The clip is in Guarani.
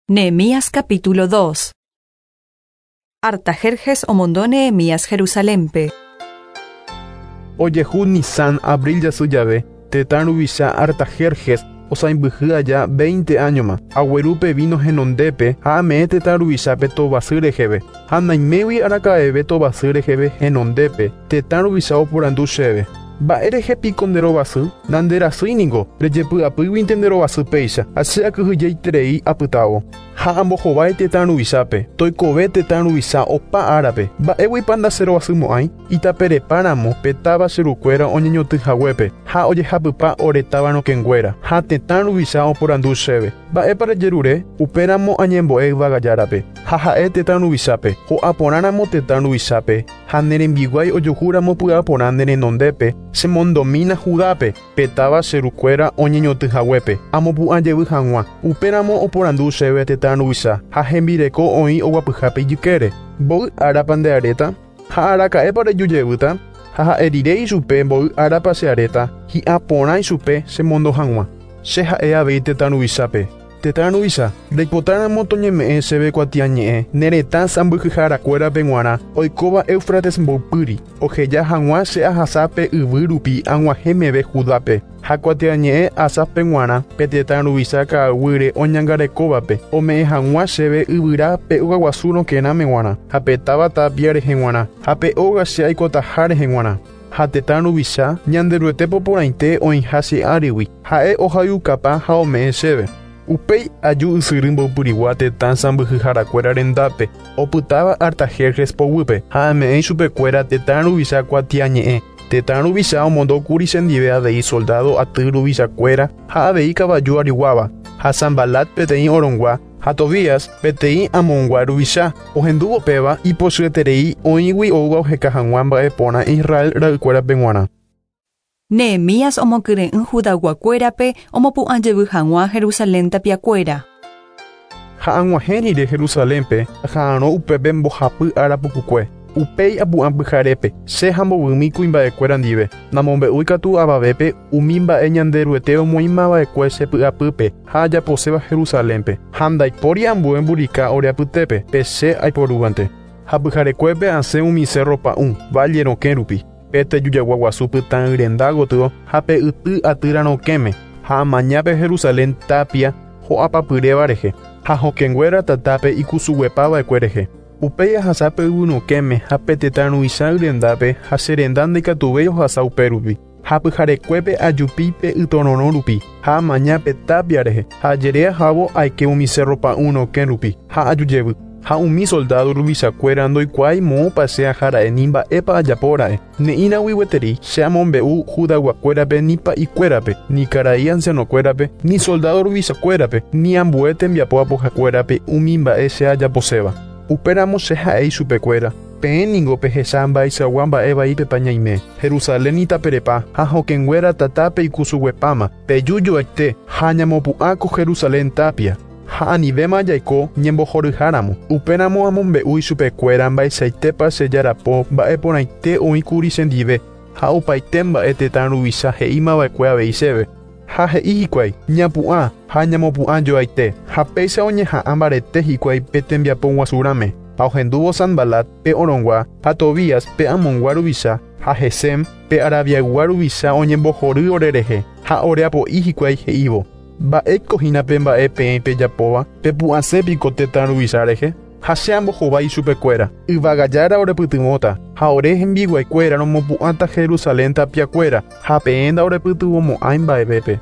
Nehemías capítulo 2. Artajerjes omondo Nehemías Jerusalénpe. Ojehu Nisán, abril jasy jave, tetã ruvicha Artajerjes osãimbyhy aja veinte áñoma, agueru pe víno henondépe ha ame'ẽ tetã ruvichápe tovasy reheve. Ha naimégui araka'eve tovasy reheve henondépe, tetã ruvicha oporandu chéve, Mba'e rehe piko nde rovasy? Nanderasýi ningo, rejepy'apýguinte nde rovasy péicha, ha che akyhyjeiterei apytávo. Ha ambohovái tetã ruvichápe, toikove tetã ruvicha opa árape, mba'éguipa ndacherovasymo'ãi? Itaperepa ramo pe táva che rukuéra oñeñotỹ haguépe, ha ojehapypa ore táva rokẽnguéra. Ha tetã ruvicha oporandu chéve, Mba'épa rejerure? Upéramo añembo'e yvága Járape, ha ha'e tetã ruvichápe, ho'a porã ramo tetã ruvichápe, Ha ne rembiguái ojuhu ramo py'aporã ne renondépe, che mondomína Judápe, pe táva che ru kuéra oñeñotỹ haguépe, amopu'ã jevy haguã. Upe ramo oporandu chéve tetã ruvicha, ha hembireko oĩ oguapyhápe ijykére, Mboy árapa nde aréta? Ha araka'épa reju jevýta? Ha ha'e rire ichupe mboy árapa che aréta, hi'ã porã ichupe che mondo haguã. Che ha'e avei tetã ruvichápe. Tetã ruvicha, reipotáramo toñeme'ẽ chéve kuatiañe'ẽ ne retã sãmbyhyharakuérape g̃uarã oikóva Éufrates mboypýri, oheja hag̃ua che ahasa pe yvy rupi ag̃uahẽ meve Judápe, ha kuatiañe'ẽ Asáfpe g̃uarã pe tetã ruvicha ka'aguýre oñangarekóvape, ome'ẽ hag̃ua chéve yvyra pe ogaguasu rokẽrãme g̃uarã, ha pe táva tápia rehe g̃uarã, ha pe óga che aikotaha rehe g̃uarã. Ha tetã ruvicha, Ñanderuete po porãite oĩha che árigui, ha'e ohayhukapa ha ome'ẽ chéve. Upéi aju ysyry mboypyrigua tetã sãmbyhyharakuéra rendápe, opytáva Artajerjes poguýpe, ha ame'ẽ ichupekuéra tetã ruvicha kuatiañe'ẽ. Tetã ruvicha omondo kuri chendive avei soldádo aty ruvichakuéra ha avei kavaju ariguáva, ha Sanbalat peteĩ orongua, Ha Tobías, peteĩ Amongua ruvicha, ohendúvo péva, ipochyeterei oĩgui oúva oheka hag̃ua mba'e porã Israel ra'ykuérape g̃uarã. Nehemías omokyre'ỹ Judayguakuérape omopu'ã jevy hag̃ua Jerusalén tapiakuéra. Ha ag̃uahẽ rire Jerusalénpe, aha'arõ upépe mbohapy ára pukukue. Upéi apu'ã pyharépe, che ha mbovymi kuimba'ekuéra ndive, namombe'úi katu avavépe umi mba'e Ñanderuete omoĩmava'ekue che py'apýpe ha ajaposéva Jerusalénpe, ha ndaipóri ambue mburika ore apytépe, pe che aiporúvante. Ha pyharekuépe asẽ umi cérro pa'ũ, válle rokẽ rupi, pe tejujagua guasu pytã yrenda gotyo ha pe yty atýra rokẽme, ha amaña pe Jerusalén tápia ho'apapyréva rehe, ha hokẽnguéra tatápe ikusuguepava'ekue rehe. Upéi ahasa pe yvy rokẽme ha pe tetã ruvicha yrendápe ha che renda ndaikatuvéi ohasa upérupi. Ha pyharekuépe ajupi pe ytororõ rupi, ha amaña pe tápia rehe, ha ajere ahávo aike umi sérro pa'ũ rokẽ rupi, ha aju jevy. Ha umi soldádo ruvichakuéra ndoikuaái moõpa che aha ra'e ni mba'épa ajapo ra'e. Ne'ĩragui gueteri che amombe'u Judayguakuérape ni pa'ikuérape, ni karai ansianokuérape, ni soldádo ruvichakuérape, ni ambue tembiapo apohakuérape umi mba'e che ajaposéva. Upéramo che ha'e ichupekuéra, Peẽ ningo pehecha mba'eichagua mba'e vaípepa ñaime, Jerusalén itaperepa ha hokẽnguéra tatápe ikusuguepáma, peju joaite ha ñamopu'ã ko Jerusalén tápia. Ha anivéma jaiko ñembohoryha ramo. Upéramo amombe'u ichupekuéra mba'eichaitépa che jarapo mba'e porãite oĩ kuri chendive, ha opaite mba'e tetã ruvicha he'íma va'ekue avei chéve. Ha he'i hikuái, Ñapu'ã ha ñamopu'ã joaite. Ha péicha oñeha'ã mbarete hikuái pe tembiapo guasurãme. Ha ohendúvo Sanbalat, pe Orongua, ha Tobías, pe Amongua ruvicha, ha Gesem, pe Arabiaygua ruvicha oñembohory ore rehe, ha ore apo'i hikuái he'ívo, Mba'éiko hína pe mba'e peẽ pejapóva, pepu'ãse piko tetã ruvicha rehe? Ha che ambohovái ichupekuéra, Yvága Jára orepytyvõta, ha ore hembiguaikuéra romopu'ãta Jerusalén tapiakuéra, ha peẽ ndaorepytyvõmo'ãi mba'evépe.